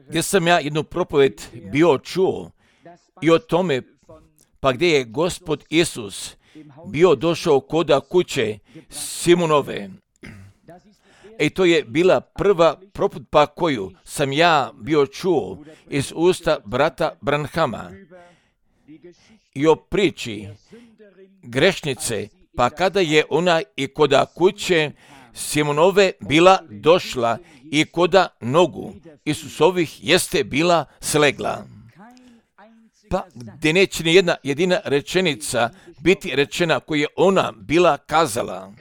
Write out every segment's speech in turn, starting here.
gdje sam ja jednu propoved bio čuo i o tome, pa gdje je Gospod Isus bio došao koda kuće Simonove. I to je bila prva propoved koju sam ja bio čuo iz usta brata Branhama i o priči grešnice, pa kada je ona i koda kuće Simonove bila došla i koda nogu Isusovih jeste bila slegla. Pa gdje neće ni jedna jedina rečenica biti rečena koju je ona bila kazala.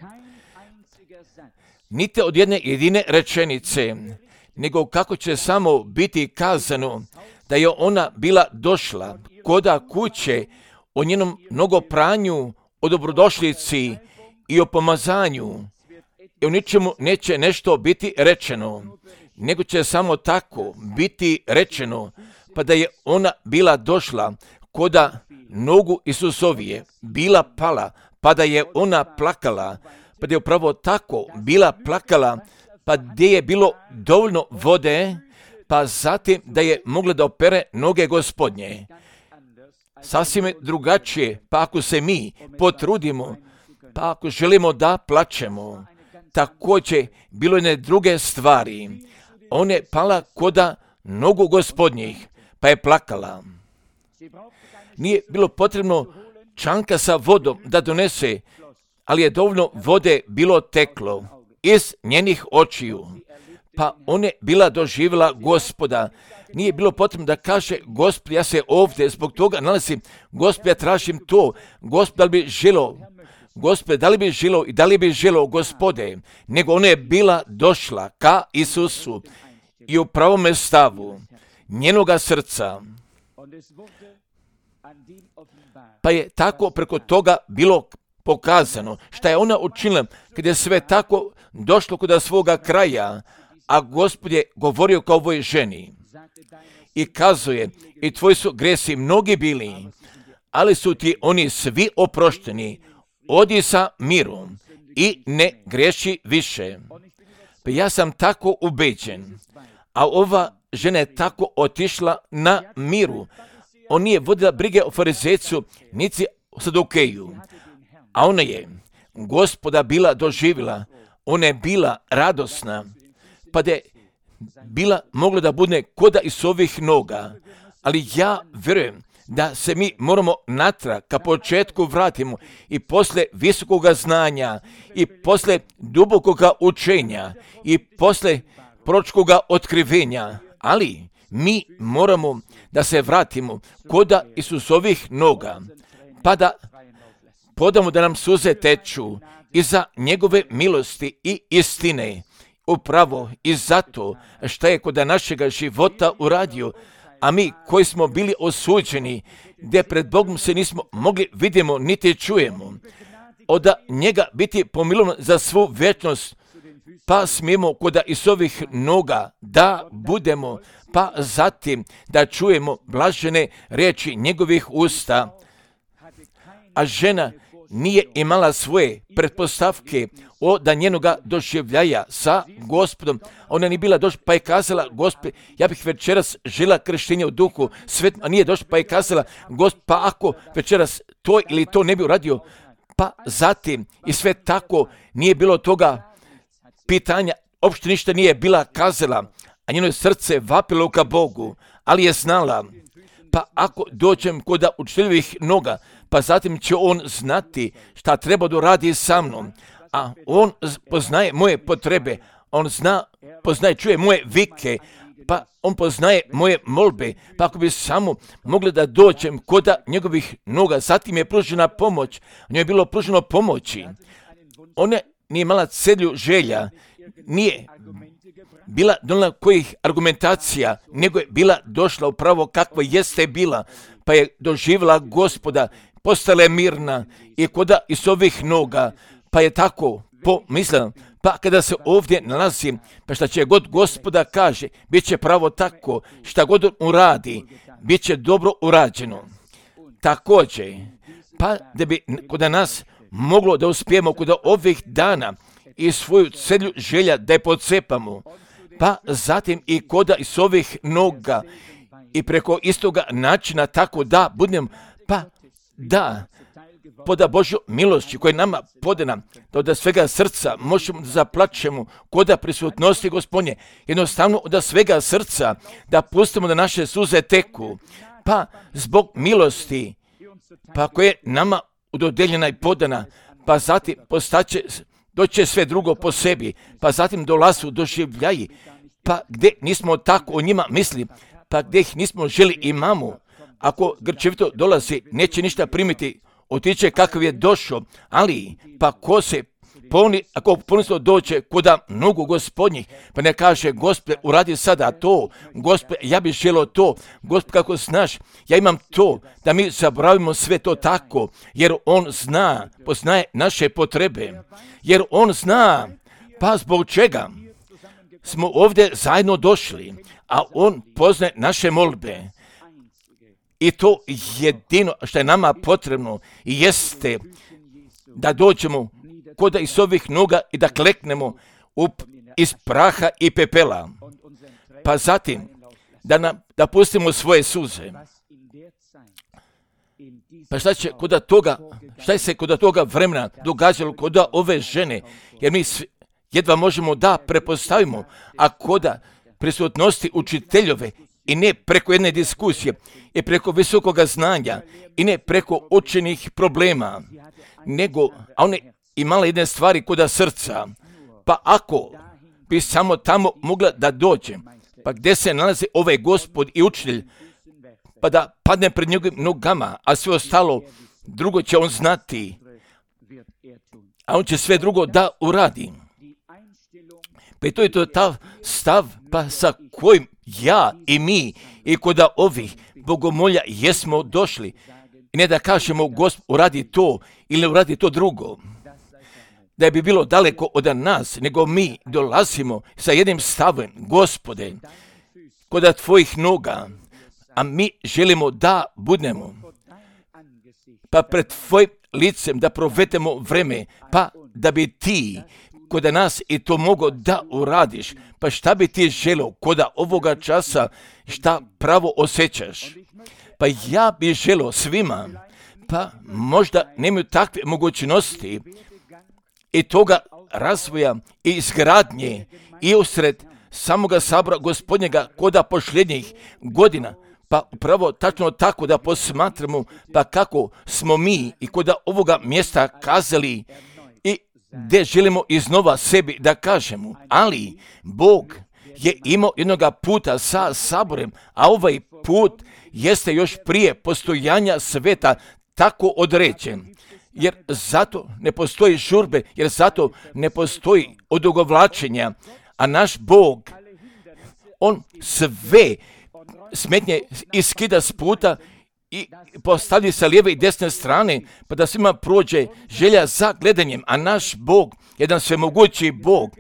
Niti od jedne jedine rečenice, nego kako će samo biti kazano da je ona bila došla koda kuće o njenom mnogopranju, o dobrodošlici i o pomazanju. I o ničemu neće nešto biti rečeno, nego će samo tako biti rečeno, pa da je ona bila došla koda nogu Isusovije, bila pala, pa da je ona plakala, pa da je upravo tako bila plakala, pa gdje je bilo dovoljno vode, pa zatim da je mogla da opere noge Gospodnje. Sasvim drugačije, pa ako se mi potrudimo, pa ako želimo da plačemo, također bilo jedne druge stvari. Ona je pala koda nogu Gospodnjih, pa je plakala. Nije bilo potrebno čanka sa vodom da donese, ali je dovoljno vode bilo teklo iz njenih očiju. Pa ona je bila doživjela Gospoda. Nije bilo potrebno da kaže, Gospod, ja se ovdje zbog toga nalazim, Gospod, ja tražim to, Gospod, da li bi želo, Gospod, da li bi želo i da li bi želo, Gospode, nego ona je bila došla ka Isusu i u pravome stavu njenoga srca. Pa je tako preko toga bilo pokazano šta je ona učinila kad je sve tako došlo kod svoga kraja, a Gospod je govorio kao ovoj ženi i kazuje, i tvoji su gresi mnogi bili, ali su ti oni svi oprošteni, odi sa mirom i ne greši više. Pa ja sam tako ubeđen, a ova žena je tako otišla na miru. On nije vodila brige o farizecu, niti o Sadukeju, a ona je Gospoda bila doživjela, ona je bila radosna, pa da je bila mogla da bude koda iz ovih noga. Ali ja vjerujem da se mi moramo natrag ka početku vratimo i posle visokoga znanja i posle dubokoga učenja i posle proročkoga otkrivenja, ali mi moramo da se vratimo koda Isusovih noga, pa da podamo da nam suze teču iza njegove milosti i istine, upravo i zato što je kod našega života uradio, a mi koji smo bili osuđeni, gdje pred Bogom se nismo mogli vidimo niti čujemo, od njega biti pomilovan za svu vječnost, pa smijemo kod Isusovih noga da budemo, pa zatim da čujemo blažene riječi njegovih usta. A žena nije imala svoje pretpostavke od njenoga doživljaja sa Gospodom. Ona nije bila došla pa je kazala, Gospod, ja bih večeras žela krštenje u duhu svetom, a nije došla pa je kazala, Gospod, pa ako večeras to ili to ne bi uradio, pa zatim i sve tako nije bilo toga pitanja, uopšte ništa nije bila kazala, a njeno srce vapilo ka Bogu, ali je znala, pa ako dođem kod učiteljevih noga, pa zatim će on znati šta treba da radi sa mnom, a on poznaje moje potrebe, on poznaje, čuje moje vike, pa on poznaje moje molbe, pa ako bi samo mogli da dođem kod njegovih noga, zatim je pružena pomoć, njoj je bilo pruženo pomoći, ona nije imala celju želja, nije bila donijela kojih argumentacija, nego je bila došla upravo kakva jeste bila, pa je doživjela Gospoda, postala je mirna i koda iz ovih noga, pa je tako pomislila, pa kada se ovdje nalazim, pa šta će god Gospoda kaže, bit će pravo tako, šta god uradi, bit će dobro urađeno. Također, pa da bi kod nas moglo da uspijemo kod ovih dana i svoju celju želja da je pocepamo, pa zatim i koda iz ovih noga i preko istoga načina tako da budem, pa da poda Božju milošću koja je nama podana, da od svega srca možemo da zaplačemo koda prisutnosti Gospodnje, jednostavno od svega srca da pustimo da naše suze teku, pa zbog milosti, pa koja je nama dodeljena i podana, pa zatim doće sve drugo po sebi, pa zatim dolazu doživljaji, pa gdje nismo tako o njima misli, pa gdje ih nismo želi imamo, ako grčevito dolazi, neće ništa primiti, otiće kakav je došao, ali pa ko se puni, ako puno doće kuda mnogo Gospodnjih, pa ne kaže Gospode, uradi sada to, Gospode, ja bih želio to, Gospode, kako znaš, ja imam to, da mi zaboravimo sve to tako, jer on zna, poznaje naše potrebe, jer on zna, pa zbog čega smo ovdje zajedno došli, a on poznaje naše molbe. I to jedino što je nama potrebno jeste da dođemo koda iz ovih noga i da kleknemo iz praha i pepela. Pa zatim da pustimo svoje suze. Pa šta se kod toga vremena događalo kod ove žene? Jer mi jedva možemo da prepostavimo, a koda prisutnosti učiteljove i ne preko jedne diskusije, i preko visokoga znanja, i ne preko učenih problema, nego, a ona imala jedne stvari koda srca, pa ako bi samo tamo mogla da dođe, pa gdje se nalazi ovaj Gospod i učitelj, pa da padne pred njegovim nogama, a sve ostalo drugo će on znati, a on će sve drugo da uradi. Pa to je to ta stav, pa sa kojim ja i mi i koda ovih bogomolja jesmo došli. I ne da kažemo Gospod uradi to ili uradi to drugo. Da bi bilo daleko od nas, nego mi dolazimo sa jednim stavom, Gospode, koda tvojih noga, a mi želimo da budemo, pa pred tvojim licem da provedemo vreme, pa da bi ti koda nas i to mogo da uradiš, pa šta bi ti želio koda ovoga časa, šta pravo osjećaš? Pa ja bi želio svima, pa možda nemaju takve mogućnosti i toga razvoja i izgradnje i usred samoga sabora Gospodnjega koda posljednjih godina, pa upravo tačno tako da posmatramo pa kako smo mi i koda ovoga mjesta kazali i gdje želimo iznova sebi da kažemo, ali Bog je imao jednoga puta sa saborem, a ovaj put jeste još prije postojanja sveta tako određen. Jer zato ne postoji žurbe, jer zato ne postoji odugovlačenja, a naš Bog, on sve smetnje iskida s puta i postavlja sa lijeve i desne strane, pa da svima prođe želja za gledanjem, a naš Bog, jedan svemogući Bog,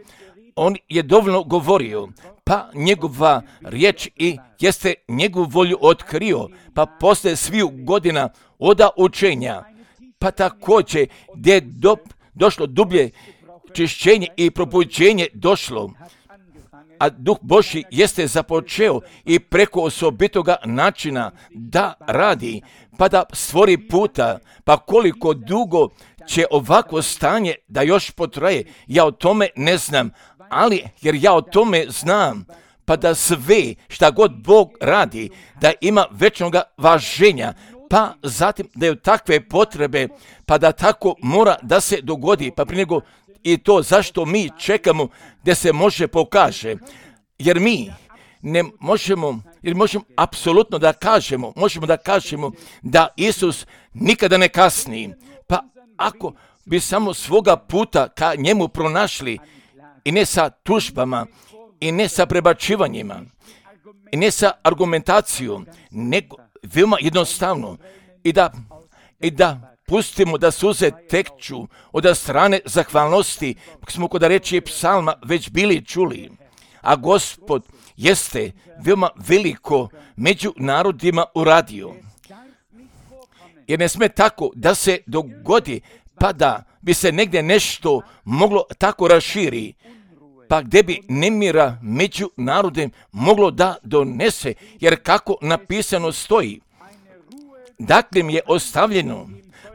on je dovoljno govorio, pa njegova riječ i jeste njegovu volju otkrio, pa posle sviju godina oda učenja, pa također gdje je došlo dublje čišćenje i probuđenje došlo, a Duh Božji jeste započeo i preko osobitoga načina da radi, pa da stvori puta, pa koliko dugo će ovako stanje da još potraje, ja o tome ne znam, ali jer ja o tome znam, pa da sve šta god Bog radi, da ima večnoga važenja, pa zatim da je takve potrebe, pa da tako mora da se dogodi, pa prije nego i to zašto mi čekamo da se može pokaže, jer mi ne možemo, jer možemo apsolutno da kažemo, možemo da kažemo da Isus nikada ne kasni, pa ako bi samo svoga puta ka njemu pronašli i ne sa tužbama i ne sa prebačivanjima i ne sa argumentacijom, nego veoma jednostavno i da pustimo da suze tekču od strane zahvalnosti, smo kod reči psalma već bili čuli, a Gospod jeste veoma veliko među narodima uradio. Jer ne sme tako da se dogodi, pa da bi se negdje nešto moglo tako raširi, pa gdje bi nemira među narodem moglo da donese, jer kako napisano stoji, dakle mi je ostavljeno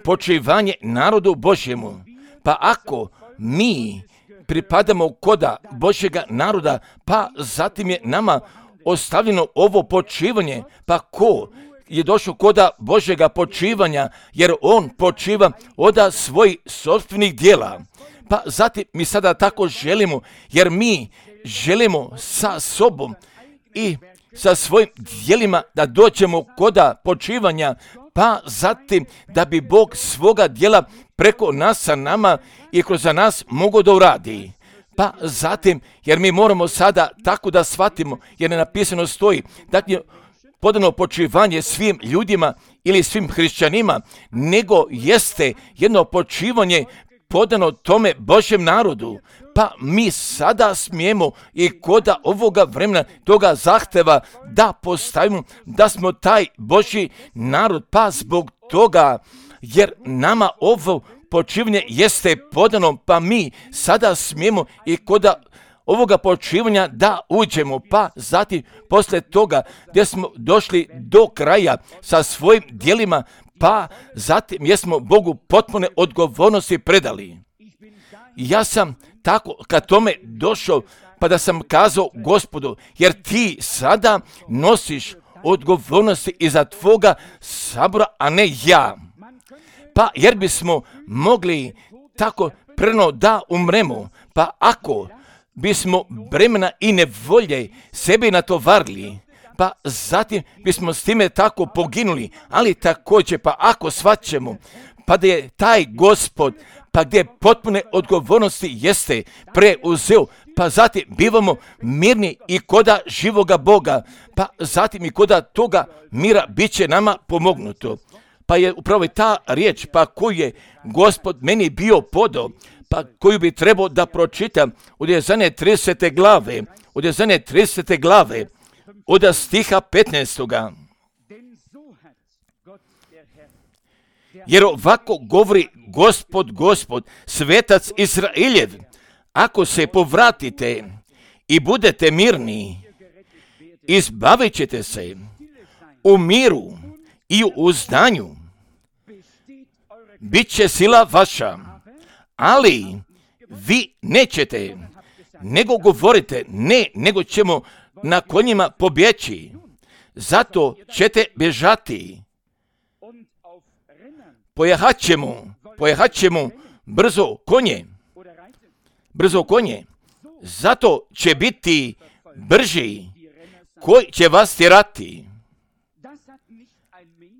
počivanje narodu Božjemu, pa ako mi pripadamo koda Božjega naroda, pa zatim je nama ostavljeno ovo počivanje, pa ko je došao koda Božjega počivanja, jer on počiva od svojih sopstvenih djela. Pa zatim mi sada tako želimo, jer mi želimo sa sobom i sa svojim djelima da dođemo koda počivanja, pa zatim da bi Bog svoga djela preko nas sa nama i kroz nas mogao da uradi. Pa zatim, jer mi moramo sada tako da shvatimo, jer je napisano stoji, dakle, podano počivanje svim ljudima ili svim hrišćanima, nego jeste jedno počivanje podano tome Božjem narodu. Pa mi sada smijemo i koda ovoga vremena toga zahteva da postavimo da smo taj Božji narod, pa zbog toga, jer nama ovo počivanje jeste podano, pa mi sada smijemo i koda ovoga počivanja da uđemo, pa zatim poslije toga gdje smo došli do kraja sa svojim djelima, pa zatim jesmo Bogu potpune odgovornosti predali. Ja sam tako kad tome došao, pa da sam kazao Gospodu, jer ti sada nosiš odgovornosti iza tvoga sabora, a ne ja. Pa jer bismo mogli tako preno da umremo, pa ako bismo bremena i nevolje sebi natovarili, pa zatim bismo s time tako poginuli, ali također pa ako shvaćemo, pa da je taj Gospod, pa gdje potpune odgovornosti jeste preuzeo, pa zatim bivamo mirni i koda živoga Boga, pa zatim i koda toga mira bit će nama pomognuto. Pa je upravo ta riječ, pa koju je Gospod meni bio podao, pa koju bi trebao da pročitam od Jezanje 30. glave, od Jezanje 30. glave, od stiha 15. Jer ovako govori Gospod, svetac Izraeljev, ako se povratite i budete mirni, izbavit ćete se u miru i u uzdanju, bit će sila vaša, ali vi nećete, nego govorite, ne, nego ćemo na konjima pobjeći, zato ćete bježati. Pojahat ćemo brzo konje, zato će biti brži koji će vas tjerati.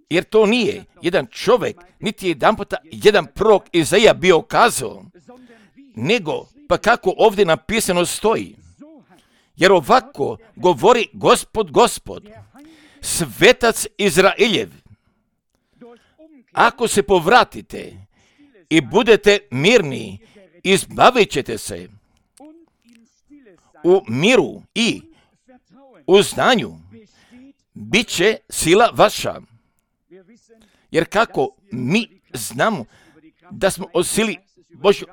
Jer to nije jedan čovjek, niti jedan puta jedan prorok Izaija bio kazao, nego pa kako ovdje napisano stoji. Jer ovako govori Gospod, svetac Izraeljev, ako se povratite i budete mirni, izbavit ćete se u miru i u znanju, bit će sila vaša. Jer kako mi znamo da smo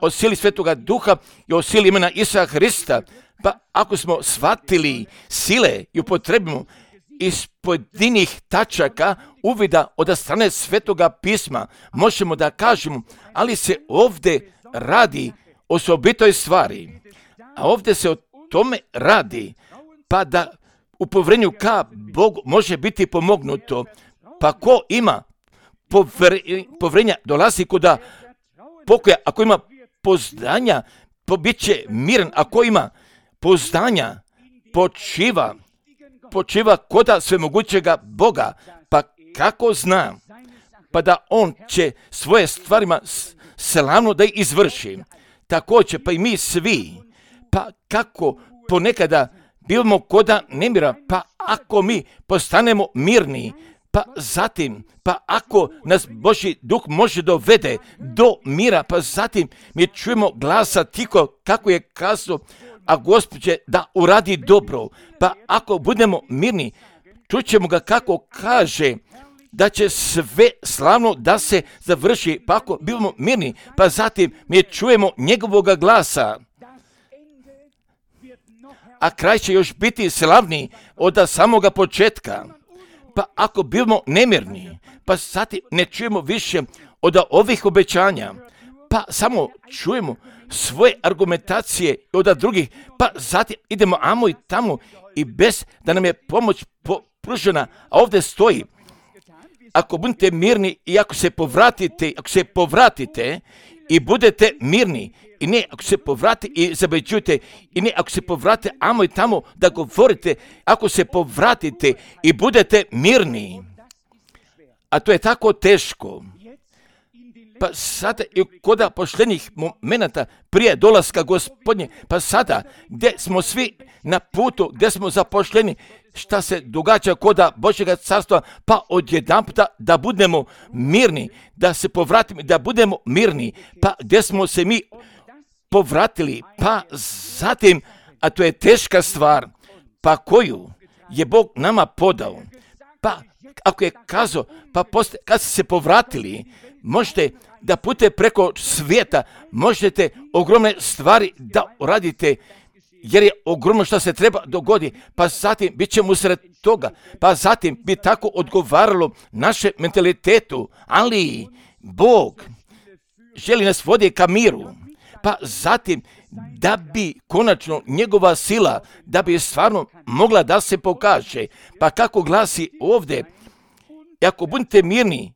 o sili Svetoga Duha i o sili imena Isusa Hrista, pa ako smo shvatili sile i upotrebimo iz pojedinih tačaka uvida od strane Svetoga pisma, možemo da kažemo, ali se ovdje radi o osobitoj stvari. A ovdje se o tome radi, pa da u povjerenju ka Bogu može biti pomognuto. Pa ko ima povjerenja dolazi kuda pokoja, ako ima poznanja, bit će miran, ako ima poznanja, počiva koda svemogućega Boga, pa kako zna, pa da on će svoje stvarima slavno da ih izvrši. Također, pa i mi svi, pa kako ponekada bivamo koda nemira, pa ako mi postanemo mirni, pa zatim, pa ako nas Božji duh može dovede do mira, pa zatim mi čujemo glasa tiho kako je kazao, a Gospod će da uradi dobro. Pa ako budemo mirni, čućemo ga kako kaže da će sve slavno da se završi. Pa ako bivamo mirni, pa zatim mi čujemo njegovoga glasa. a kraj će još biti slavniji od samoga početka. Pa ako bivamo nemirni, pa zatim ne čujemo više od ovih obećanja, pa samo čujemo svoje argumentacije od drugih, pa zatim idemo amo i tamo i bez da nam je pomoć pružena, a ovdje stoji, ako budete mirni i ako se povratite i budete mirni, i ne ako se povrati i zabeđujete, i ne ako se povrate amo i tamo da govorite, ako se povratite i budete mirni. A to je tako teško. Pa sada i kod pošljenih momenata prije dolaska Gospodnje, pa sada gdje smo svi na putu, gdje smo zapošljeni, šta se događa kod Božjega carstva, pa odjedanputa da budemo mirni, da se povratimo, da budemo mirni, pa gdje smo se mi povratili, pa zatim, a to je teška stvar, pa koju je Bog nama podao, pa ako je kazao, pa kad ste se povratili, možete da putete preko svijeta, možete ogromne stvari da uradite, jer je ogromno što se treba dogodi, pa zatim bit ćemo usred toga, pa zatim bi tako odgovaralo naše mentalitetu, ali Bog želi nas voditi ka miru, pa zatim da bi konačno njegova sila, da bi stvarno mogla da se pokaže, pa kako glasi ovdje, ako budete mirni,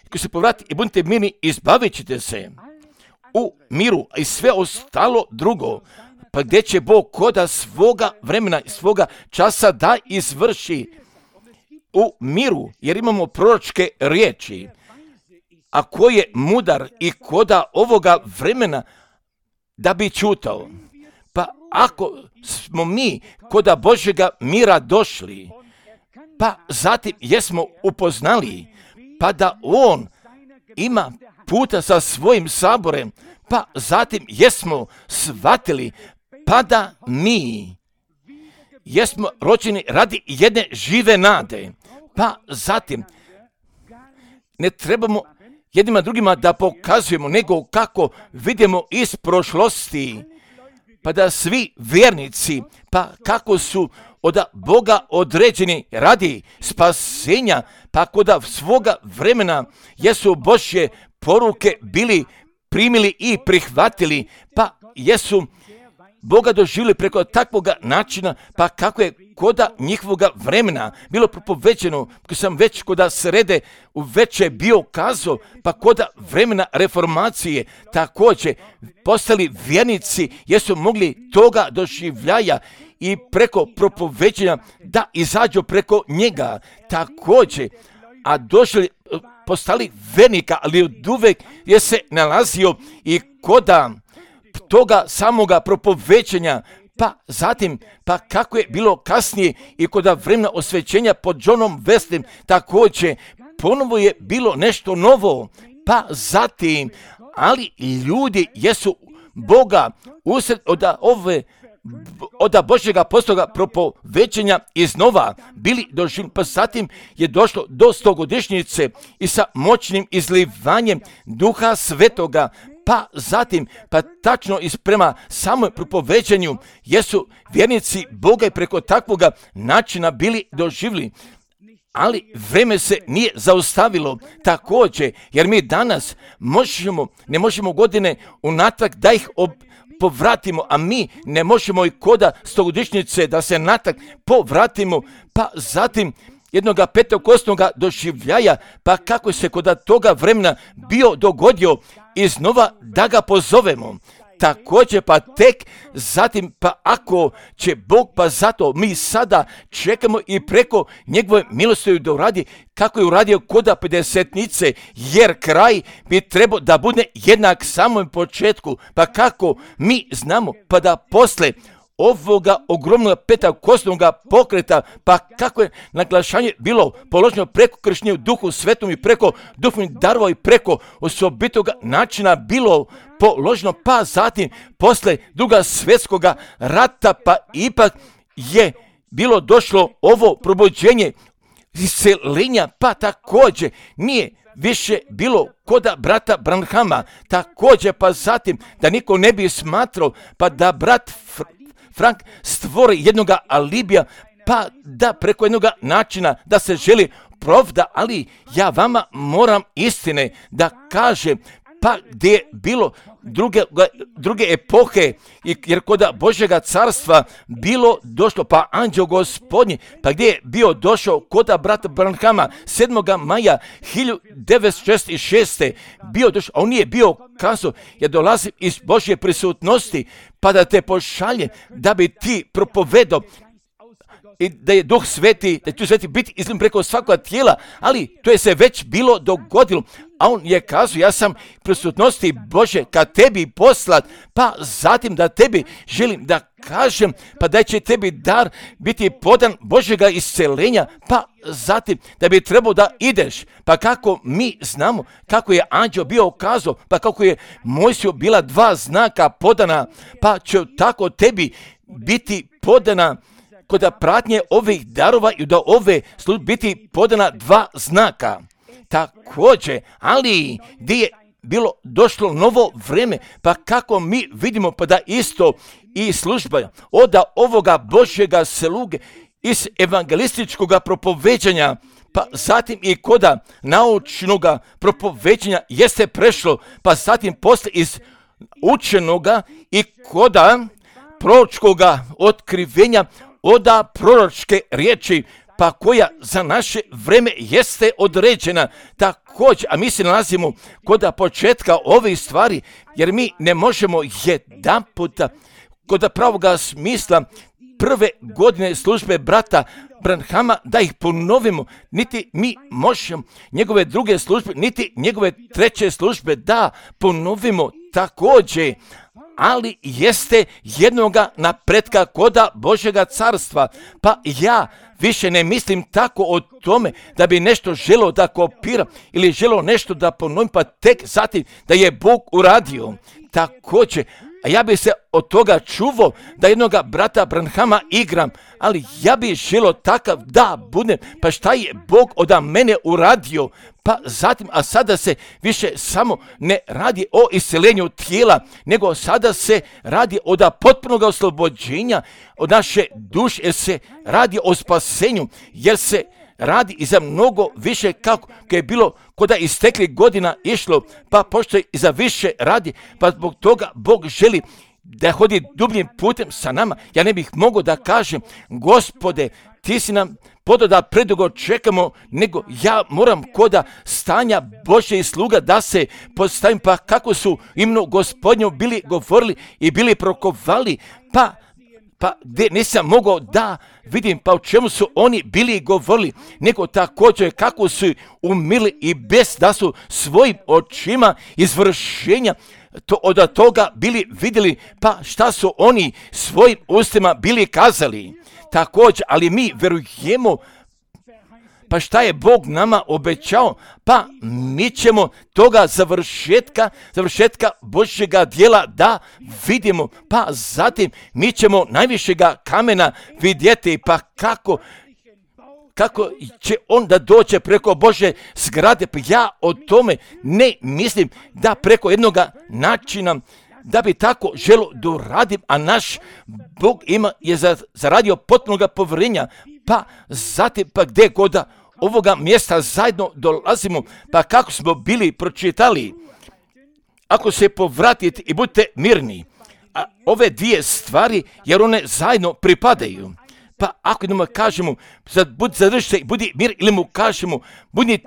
ako se povrati i budete mirni, izbavit ćete se u miru i sve ostalo drugo, pa gdje će Bog koda svoga vremena i svoga časa da izvrši u miru, jer imamo proročke riječi, a ko je mudar i koda ovoga vremena da bi čutao. Pa ako smo mi koda Božjega mira došli, pa zatim jesmo upoznali, pa da on ima puta sa svojim saborem, pa zatim jesmo shvatili, pa da mi jesmo rođeni radi jedne žive nade, pa zatim ne trebamo jednima drugima da pokazujemo, nego kako vidimo iz prošlosti, pa da svi vjernici, pa kako su od Boga određeni radi spasenja, pa kod svoga vremena jesu Božje poruke bili primili i prihvatili, pa jesu Boga doživjeli preko takvog načina, pa kako je koda njihovoga vremena bilo propoveđeno, ko sam već koda srede u veće bio kazao, pa koda vremena reformacije također postali vjernici, jesu mogli toga doživljaja i preko propoveđenja da izađu preko njega također, a došli postali vjernika, ali od uvek je se nalazio i koda toga samoga propoveđenja, pa zatim, pa kako je bilo kasnije i kod vremena osvećenja pod Johnom Wesleyem, također ponovo je bilo nešto novo, pa zatim, ali ljudi jesu Boga usred od Božjega postoga propoveđenja iznova bili doživljeni, pa zatim je došlo do 100-godišnjice i sa moćnim izlivanjem Duha Svetoga, pa zatim, pa tačno prema samom propoveđenju jesu vjernici Boga i preko takvoga načina bili doživjeli. Ali vreme se nije zaustavilo također, jer mi danas ne možemo godine unatrag da ih povratimo, a mi ne možemo i koda 100-godišnjice da se natrag povratimo, pa zatim jednoga petokosnoga doživljaja, pa kako se kod toga vremena bio dogodio iznova da ga pozovemo. Također pa tek zatim, pa ako će Bog, pa zato mi sada čekamo i preko njegove milosti da uradi kako je uradio koda pedesetnice, jer kraj bi trebao da bude jednak samom početku, pa kako mi znamo, pa da posle ovoga ogromnog petakosnoga pokreta, pa kako je naglašanje bilo položeno preko krštenja u Duhu Svetom i preko duhovnih darova i preko osobitoga načina bilo položeno, pa zatim posle Druga svjetskoga rata, pa ipak je bilo došlo ovo probuđenje iseljenja, pa također nije više bilo koda brata Branhama, također pa zatim da niko ne bi smatrao, pa da brat Frank stvori jednoga alibija, pa da preko jednoga načina da se želi pravda, ali ja vama moram istine da kažem, pa gdje je bilo druge epohe, jer kod Božjega carstva bilo došlo, pa anđeo Gospodnji, pa gdje je bio došao kod brata Branhama 7. maja 1966. bio došao, a on nije bio kazao, ja dolazim iz Božje prisutnosti, pa da te pošalje, da bi ti propovedao, i da je Duh Sveti, da će Duh Sveti biti izlim preko svakoga tijela, ali to je se već bilo dogodilo. A on je kazao, ja sam prisutnosti Bože ka tebi poslat, pa zatim da tebi želim da kažem, pa da će tebi dar biti podan Božjega iscelenja, pa zatim da bi trebao da ideš. Pa kako mi znamo, kako je anđeo bio kazao, pa kako je Mojsiju bila 2 znaka podana, pa će tako tebi biti podana kod pratnje ovih darova i da ove službe biti podana 2 znaka. Također, ali gdje je bilo došlo novo vrijeme, pa kako mi vidimo, pa da isto i služba od ovoga Božjega sluge iz evangelističkog propoveđanja, pa zatim i koda naučnog propoveđanja jeste prešlo, pa zatim posle iz učenoga i koda proročkoga otkrivenja od proročke riječi, pa koja za naše vreme jeste određena također, a mi se nalazimo kod početka ovih stvari, jer mi ne možemo jedan puta kod pravoga smisla prve godine službe brata Branhama da ih ponovimo, niti mi možemo njegove druge službe, niti njegove treće službe da ponovimo također, ali jeste jednoga napretka koda Božjega carstva. Pa ja više ne mislim tako o tome da bi nešto želio da kopiram ili želio nešto da ponovim, pa tek zatim da je Bog uradio. Također, a ja bi se od toga čuvao da jednoga brata Branhama igram, ali ja bi želio takav da budem, pa šta je Bog od mene uradio, pa zatim, a sada se više samo ne radi o isceljenju tijela, nego sada se radi od potpunog oslobođenja od naše duše, jer se radi o spasenju, jer se radi i za mnogo više kako je bilo koda istekli godina išlo, pa pošto i za više radi, pa zbog toga Bog želi da hodi dubljim putem sa nama. Ja ne bih mogao da kažem, Gospode, ti si nam podao da predugo čekamo, nego ja moram koda stanja Božje i sluga da se postavim, pa kako su imenu Gospodnju bili govorili i bili prokovali, pa gdje nisam mogao da vidim pa o čemu su oni bili govorili, nego također kako su umili i bez da su svojim očima izvršenja od toga bili vidjeli, pa šta su oni svojim ustima bili kazali. Također, ali mi verujemo, pa šta je Bog nama obećao, pa mi ćemo toga završetka Božjega djela da vidimo, pa zatim mi ćemo najvišega kamena vidjeti, pa kako će on da dođe preko Božje zgrade, pa ja o tome ne mislim da preko jednoga načina da bi tako želo doradim, a naš Bog je zaradio potpunog povjerenja, pa zatim pa gdje god ovoga mjesta zajedno dolazimo, pa kako smo bili pročitali, ako se povratite i budite mirni, a ove 2 stvari, jer one zajedno pripadaju. Pa ako jednom kažemo, zadrži se i budi mir, ili mu kažemo, budi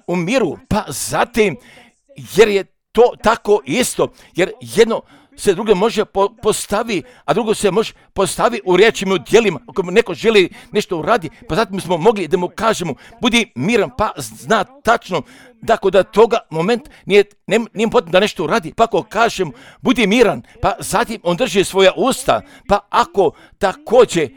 u miru, pa zatim, jer je to tako isto, jer jedno se drugo može postavi, a drugo se može postavi u riječima, u djelima. Ako neko želi nešto uradi, pa zatim smo mogli da mu kažemo, budi miran, pa zna tačno da kod toga moment nije potrebno da nešto uradi, pa ako kažemo, budi miran, pa zatim on drži svoja usta, pa ako također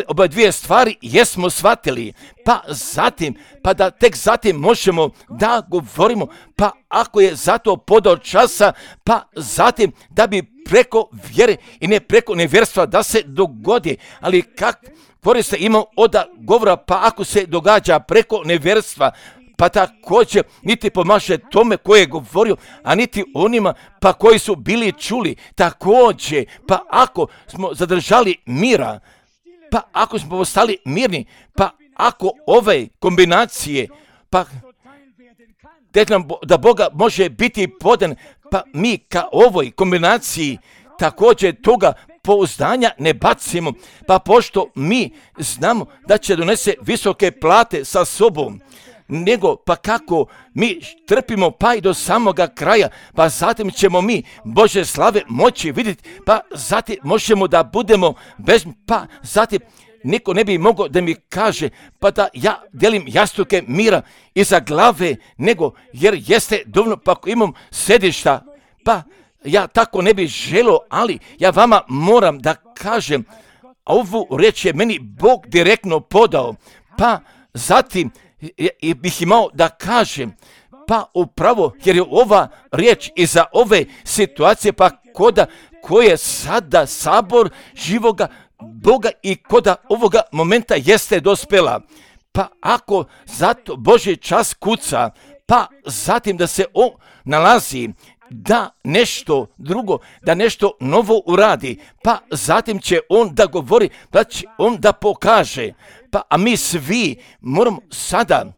oba 2 stvari jesmo shvatili, pa zatim, pa da tek zatim možemo da govorimo, pa ako je zato podao časa, pa zatim da bi preko vjere i ne preko nevjerstva da se dogodi, ali kak koriste imam od govora, pa ako se događa preko nevjerstva, pa također niti pomaže tome koje je govorio, a niti onima pa koji su bili čuli. Također, pa ako smo zadržali mira, pa ako smo ostali mirni, pa ako ove kombinacije, pa da Boga može biti podan, pa mi ka ovoj kombinaciji također toga pouzdanja ne bacimo, pa pošto mi znamo da će donese visoke plate sa sobom, nego pa kako mi trpimo pa i do samoga kraja, pa zatim ćemo mi Bože slave moći vidjeti, pa zatim možemo da budemo bez, pa zatim niko ne bi mogao da mi kaže pa da ja delim jastuke mira iza glave, nego jer jeste dovoljno pa ako imam sedišta, pa ja tako ne bih želio, ali ja vama moram da kažem, ovu riječ je meni Bog direktno podao, pa zatim bih imao da kažem, pa upravo jer je ova riječ iza ove situacije, pa koje sada sabor živoga Boga i koda ovoga momenta jeste dospela. Pa ako zato Božji čas kuca, pa zatim da se on nalazi da nešto drugo, da nešto novo uradi, pa zatim će on da govori, pa će on da pokaže, pa a mi svi moramo sada,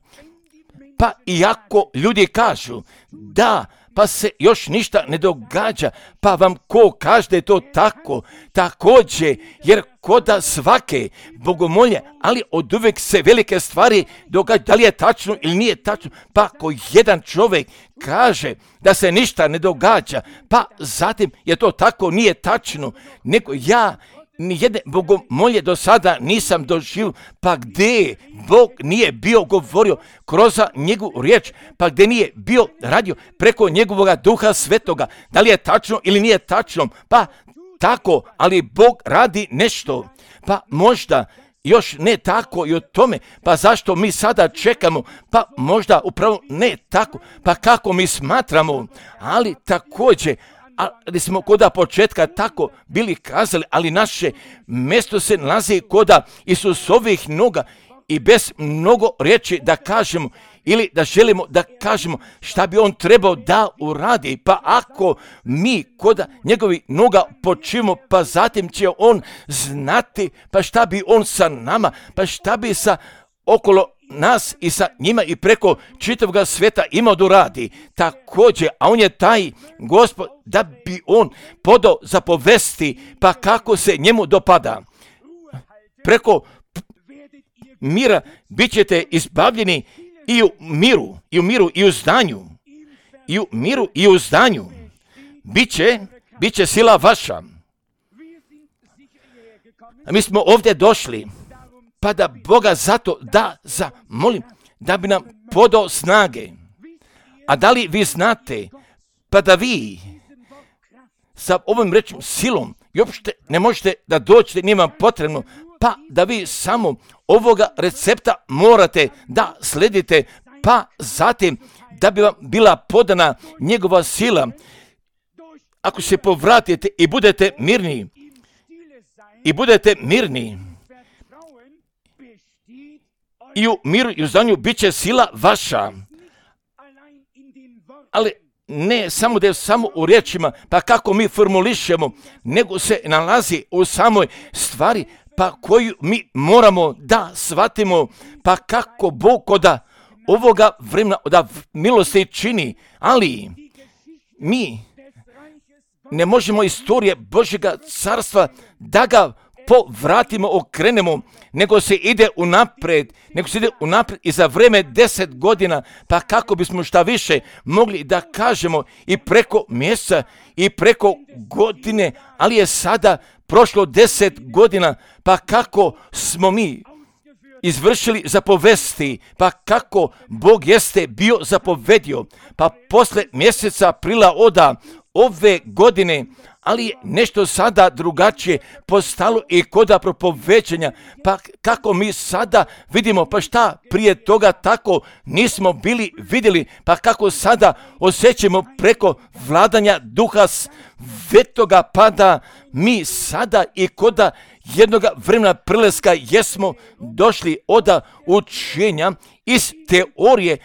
pa iako ljudi kažu da pa se još ništa ne događa, pa vam ko kaže da je to tako, također, jer koda svake bogomolje, ali od uvijek se velike stvari događa, da li je tačno ili nije tačno, pa ako jedan čovjek kaže da se ništa ne događa, pa zatim je to tako, nije tačno, nego ja nijedne bogomolje do sada nisam doživio, pa gdje Bog nije bio govorio kroz njegovu riječ, pa gdje nije bio radio preko njegovoga duha svetoga, da li je tačno ili nije tačno, pa tako, ali Bog radi nešto, pa možda još ne tako i o tome, pa zašto mi sada čekamo, pa možda upravo ne tako, pa kako mi smatramo, ali također, ali smo koda početka tako bili kazali, ali naše mjesto se nalazi koda Isusovih noga i bez mnogo riječi da kažemo ili da želimo da kažemo šta bi on trebao da uradi, pa ako mi koda njegovi noga počimo, pa zatim će on znati pa šta bi on sa nama, pa šta bi sa okolo nas i sa njima i preko čitavog svijeta imao da radi. Također, a on je taj Gospod da bi on podao zapovesti, pa kako se njemu dopada. Preko mira bit ćete izbavljeni i u miru, i u zdanju. I u miru, i u zdanju. Biće sila vaša. A mi smo ovdje došli, pa da Boga zato da zamolim, da bi nam podao snage. A da li vi znate, pa da vi sa ovim rečim silom i uopšte ne možete da dođete, nije vam potrebno, pa da vi samo ovoga recepta morate da sledite, pa zatim da bi vam bila podana njegova sila. Ako se povratite i budete mirni, i u miru i u zdanju bit će sila vaša. Ali ne samo da je samo u riječima, pa kako mi formulišemo, nego se nalazi u samoj stvari, pa koju mi moramo da shvatimo, pa kako Bog koda ovoga vremena da milosti čini, ali mi ne možemo istorije Božjega carstva da ga povratimo, okrenemo, nego se ide unaprijed i za vreme 10 godina, pa kako bismo šta više mogli da kažemo i preko mjeseca i preko godine, ali je sada prošlo 10 godina, pa kako smo mi izvršili zapovesti, pa kako Bog jeste bio zapovedio, pa posle mjeseca aprila ove godine, ali je nešto sada drugačije postalo i koda propoveđenja, pa kako mi sada vidimo, pa šta prije toga tako nismo bili vidjeli, pa kako sada osjećamo preko vladanja duha svetoga, pa da mi sada i koda jednoga vremena preleska jesmo došli od učenja iz teorije,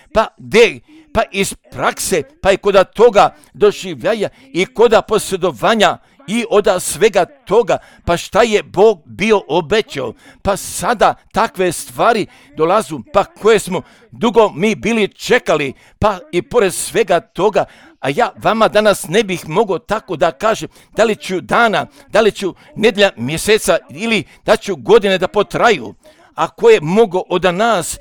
pa iz prakse, pa i kod toga doživljaja i kod posjedovanja i od svega toga, pa šta je Bog bio obećao, pa sada takve stvari dolazu, pa koje smo dugo mi bili čekali, pa i pored svega toga, a ja vama danas ne bih mogao tako da kažem da li ću dana, da li ću nedjelja, mjeseca ili da ću godine da potraju. Ako je mogo od nas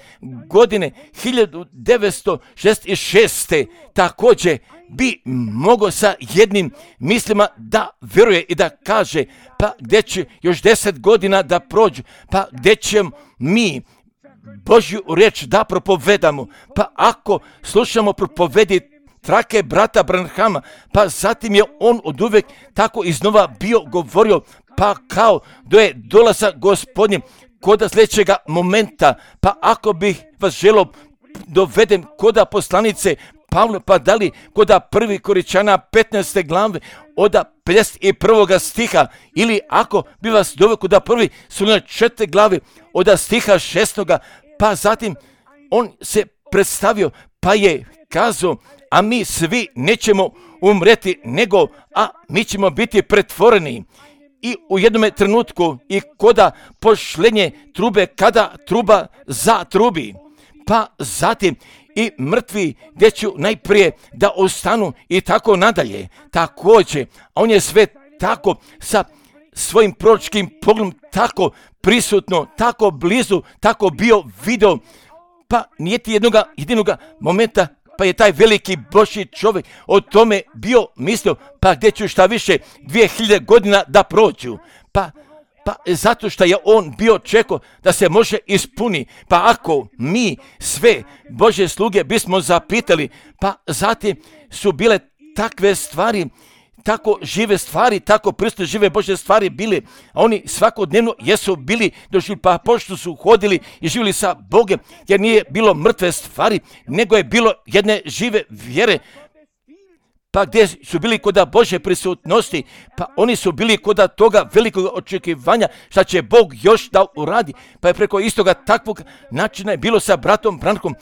godine 1966. također bi mogo sa jednim mislima da vjeruje i da kaže, pa gdje će još 10 godina da prođu, pa gdje ćemo mi Božju riječ da propovedamo, pa ako slušamo propovedi trake brata Branhama, pa zatim je on oduvijek tako iznova bio govorio, pa kao da je dolazak Gospodnji kod sljedećega momenta, pa ako bih vas želio dovedem kod poslanice Pavla, pa da li kod 1. Korinćana 15. glave od 51. stiha, ili ako bi vas doveo kod 1. Solunjana 4. glave od stiha 6. pa zatim on se predstavio, pa je kazao, a mi svi nećemo umreti, nego, a mi ćemo biti pretvoreni. I u jednom trenutku i koda pošlenje trube, kada truba zatrubi, pa zatim i mrtvi gdje ću najprije da ostanu i tako nadalje. Također, on je sve tako sa svojim proročkim pogledom tako prisutno, tako blizu, tako bio video, pa nije ti jedinoga momenta, pa je taj veliki Božji čovjek o tome bio mislio, pa gdje ću šta više 2000 godina da prođu, pa zato što je on bio čekao da se može ispuni, pa ako mi sve Božje sluge bismo zapitali, pa zatim su bile takve stvari, tako žive stvari, tako prisutne žive Božje stvari bili, a oni svakodnevno jesu bili došli, pa pošto su hodili i živjeli sa Bogom, jer nije bilo mrtve stvari, nego je bilo jedne žive vjere, pa gdje su bili kod Božje prisutnosti, pa oni su bili kod toga velikog očekivanja šta će Bog još da uradi, pa je preko istoga takvog načina je bilo sa bratom Branhom,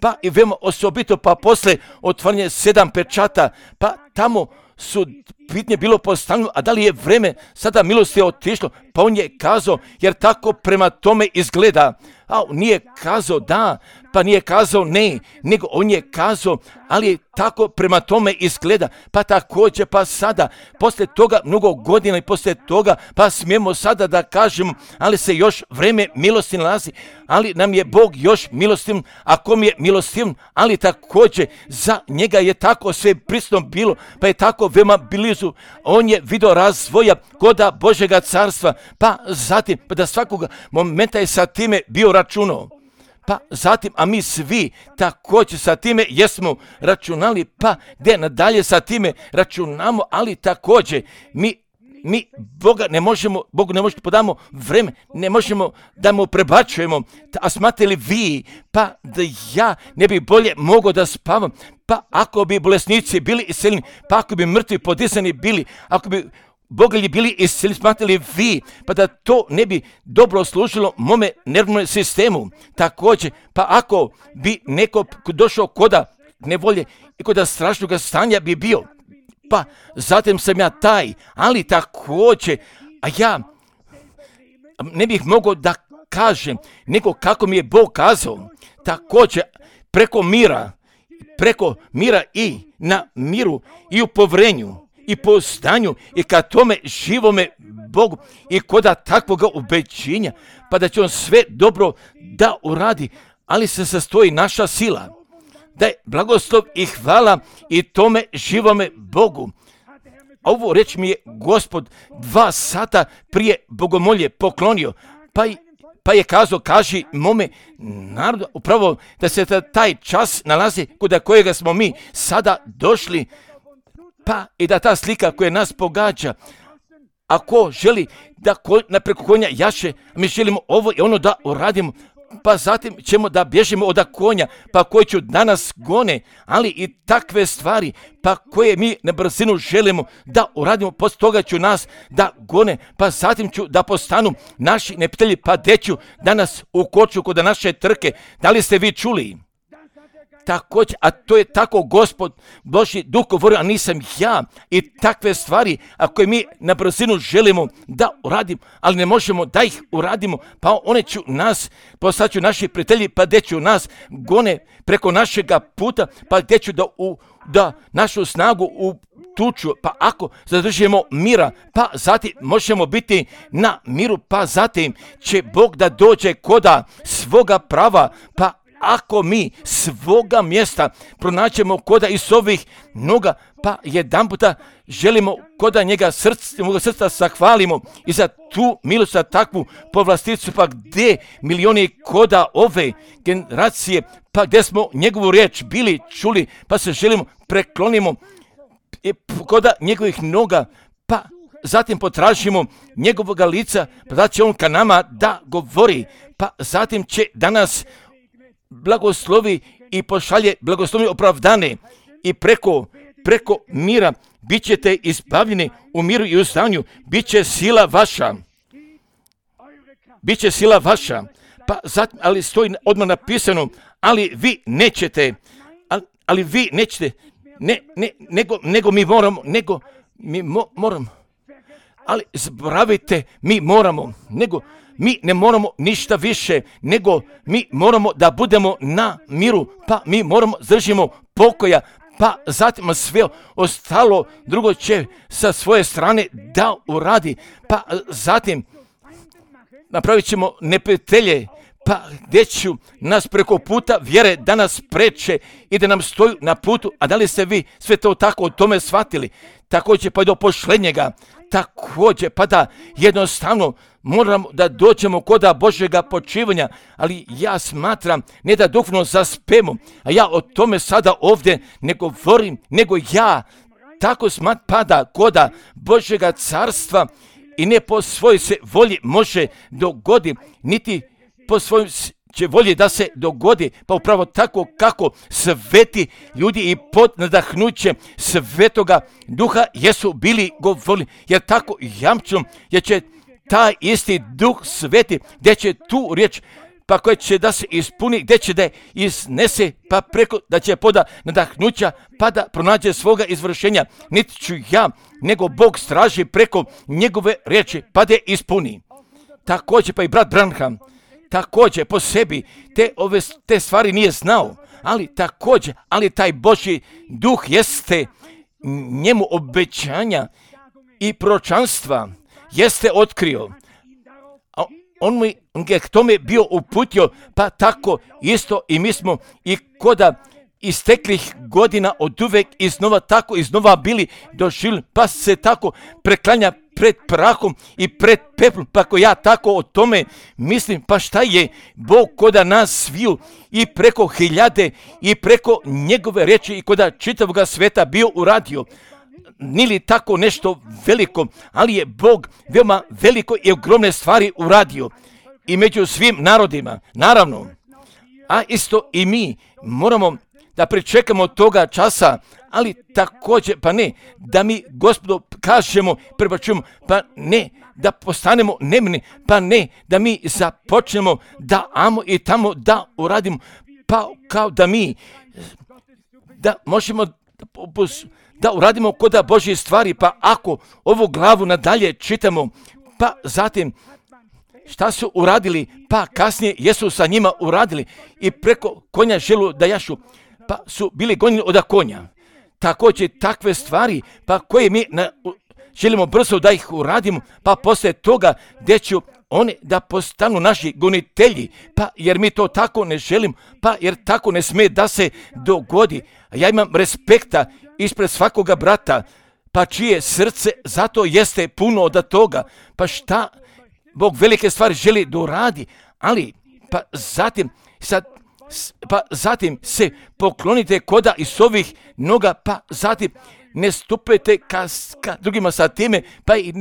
pa i veoma osobito, pa posle otvaranje 7 pečata, pa tamo su pitanje bilo postavljeno, a da li je vreme sada milosti otišlo, pa on je kazao, jer tako prema tome izgleda, a nije kazao da, pa nije kazao ne, nego on je kazao, ali tako prema tome izgleda, pa također, pa sada, poslije toga mnogo godina i poslije toga, pa smijemo sada da kažemo, ali se još vreme milosti nalazi, ali nam je Bog još milostiv, a kom je milostiv, ali također za njega je tako sve prisutno bilo, pa je tako veoma blizu, on je vidio razvoja koda Božjega carstva, pa zatim, pa da svakoga momenta je sa time bio računao. Pa zatim, a mi svi također sa time jesmo računali, pa gdje nadalje sa time računamo, ali također mi Bogu ne možemo podamo vreme, ne možemo da mu prebačujemo, a smatrali vi, pa da ja ne bi bolje mogao da spavam, pa ako bi bolesnici bili iseljeni, pa ako bi mrtvi podizani bili, ako bi bogalji bili isceljeni, smatrali vi, pa da to ne bi dobro služilo mome nervnom sistemu. Također, pa ako bi neko došao koda nevolje i koda strašnog stanja bi bio, pa zatim sam ja taj, ali također, a ja ne bih mogao da kažem nego kako mi je Bog kazao, također preko mira i na miru i u povrenju i po stanju i ka tome živome Bogu i koda takvoga ubeđenja, pa da će on sve dobro da uradi, ali se sastoji naša sila. Da je blagoslov i hvala i tome živome Bogu. A ovo reč mi je Gospod 2 sata prije bogomolje poklonio, pa je kazao, kaži mome narodu, upravo da se taj čas nalazi kod kojega smo mi sada došli, pa i da ta slika koja nas pogađa, ako želi da preko konja jaše, mi želimo ovo i ono da uradimo, pa zatim ćemo da bježimo od konja, pa koji ću danas gone, ali i takve stvari, pa koje mi na brzinu želimo da uradimo, poslije toga ću nas da gone, pa zatim ću da postanu naši neprijatelji, pa deću danas ukoču kod naše trke. Da li ste vi čuli? Također, a to je tako Gospod Božji Duh govorio, a nisam ja. I takve stvari, ako mi na brzinu želimo da uradimo, ali ne možemo da ih uradimo, pa one ću nas, postaću naši prijatelji, pa gdje ću nas gone preko našega puta, pa gdje ću da našu snagu utuču, pa ako zadržimo mira, pa zatim možemo biti na miru, pa zatim će Bog da dođe koda svoga prava, pa ako mi svoga mjesta pronaćemo koda iz ovih noga, pa jedan puta želimo koda njega srca zahvalimo i za tu milost, za takvu povlasticu, pa gdje milioni koda ove generacije, pa gdje smo njegovu riječ bili čuli, pa se želimo preklonimo koda njegovih noga, pa zatim potražimo njegovog lica, pa da će on ka nama da govori, pa zatim će danas blagoslovi i pošalje blagoslovi opravdane i preko mira bit ćete izbavljeni u miru i u stanju, bit će sila vaša, pa zatim, ali stoji odmah napisano, ali vi nećete, nego mi moramo, ali zaboravite, mi ne moramo ništa više, nego mi moramo da budemo na miru, pa mi moramo držimo pokoja, pa zatim sve ostalo drugo će sa svoje strane da uradi, pa zatim napravit ćemo neprijatelje, pa gdje ću nas preko puta vjere da nas preče i da nam stoju na putu. A da li ste vi sve to tako o tome shvatili? Također pa do pošlenjega, također pa da jednostavno moramo da dođemo koda Božjega počivanja, ali ja smatram ne da duhovno zaspemo, a ja o tome sada ovdje ne govorim, nego ja tako smatram pada koda Božjega carstva i ne po svojoj se volji može dogodi, niti po svojoj će volji da se dogodi, pa upravo tako kako sveti ljudi i pod nadahnućem svetoga duha jesu bili govorili, jer tako jamčom, jer će taj isti duh sveti, gdje će tu riječ, pa koja će da se ispuni, gdje će da je iznese, pa preko da će poda nadahnuća, pa da pronađe svoga izvršenja, niti ću ja, nego Bog straži preko njegove riječi, pa da je ispuni. Također pa i brat Branham, također po sebi te stvari nije znao, ali taj Božji duh jeste njemu obećanja i proročanstva jeste otkrio. On je k tome bio uputio, pa tako isto i mi smo i koda isteklih godina od uvek iznova bili doživjeli, pa se tako preklanja pred prahom i pred peplom, pa ako ja tako o tome mislim, pa šta je Bog koda nas sviju i preko hiljade i preko njegove riječi i koda čitavog sveta bio uradio. Nije li tako nešto veliko, ali je Bog veoma veliko i ogromne stvari uradio i među svim narodima, naravno. A isto i mi moramo da pričekamo toga časa, ali također, pa ne, da mi Gospodu kažemo, prebačujemo, pa ne, da postanemo nemni, pa ne, da mi započnemo da amo i tamo da uradimo, pa kao da mi, da možemo da uradimo koda Božje stvari, pa ako ovu glavu nadalje čitamo, pa zatim šta su uradili, pa kasnije jesu sa njima uradili i preko konja želu da jašu, pa su bili gonjeni od konja. Također takve stvari, pa koje mi želimo brzo da ih uradimo, pa poslije toga gdje ću oni da postanu naši gonitelji, pa jer mi to tako ne želimo, pa jer tako ne smije da se dogodi. Ja imam respekta ispred svakoga brata, pa čije srce zato jeste puno od toga, pa šta Bog velike stvari želi da uradi, ali pa zatim se poklonite koda iz ovih noga, pa zatim ne stupite ka drugima sa time, pa i